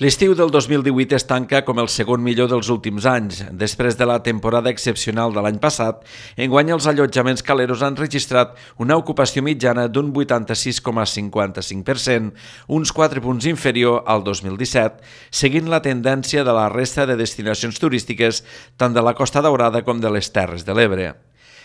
L'estiu del 2018 es tanca com el segon millor dels últims anys. Després de la temporada excepcional de l'any passat, enguany els allotjaments caleros han registrat una ocupació mitjana d'un 86,55%, uns 4 punts inferior al 2017, seguint la tendència de la resta de destinacions turístiques tant de la Costa Daurada com de les Terres de l'Ebre.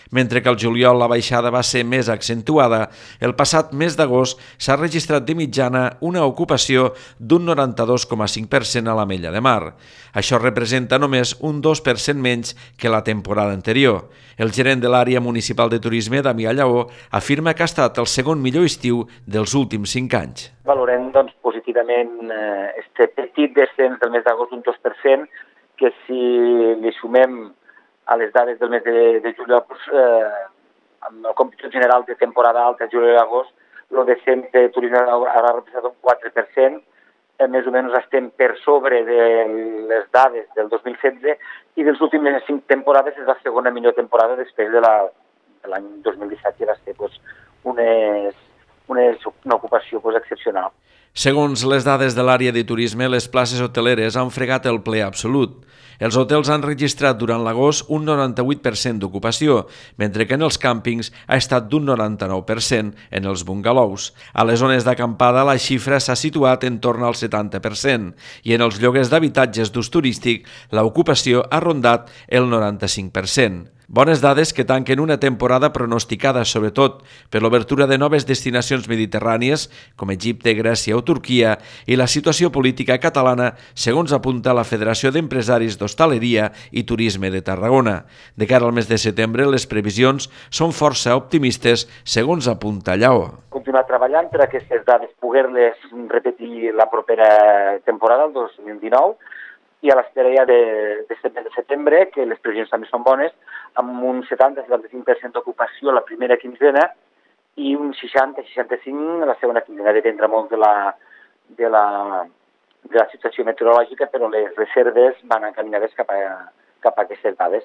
Mentre que al juliol la baixada va ser més accentuada, el passat mes d'agost s'ha registrat de mitjana una ocupació d'un 92,5% a l'Ametlla de Mar. Això representa només un 2% menys que la temporada anterior. El gerent de l'àrea municipal de turisme, Damià Lleó, afirma que ha estat el segon millor estiu dels últims 5 anys. Valorem positivament este petit descens del mes d'agost d'un 2%, que si li sumem a les dades del mes de juliol, amb el còmput general de temporada alta, juliol i agost, el descens de turisme haurà representat un 4%, més o menys estem per sobre de les dades del 2016 i dels últimes 5 temporades és la segona millor temporada després de l'any 2017, que va ser una ocupació excepcional. Segons les dades de l'àrea de turisme, les places hoteleres han fregat el ple absolut. Els hotels han registrat durant l'agost un 98% d'ocupació, mentre que en els càmpings ha estat d'un 99% en els bungalous. A les zones d'acampada la xifra s'ha situat en torn al 70% i en els lloguers d'habitatges d'ús turístic l'ocupació ha rondat el 95%. Bones dades que tanquen una temporada pronosticada sobretot per l'obertura de noves destinacions mediterrànies com Egipte, Grècia o Turquia i la situació política catalana, segons apunta la Federació d'Empresaris d'Hostaleria i Turisme de Tarragona. De cara al mes de setembre, les previsions són força optimistes, segons apunta Lleó. Continuar treballant per aquestes dades, poder-les repetir la propera temporada, el 2019, i a l'espera ja de setembre, que les previsions també són bones, amb un 70-75% d'ocupació la primera quinzena i un 60-65% la segona quinzena. Dependrà molt de la situació meteorològica, però les reserves van encaminades cap a aquestes dades.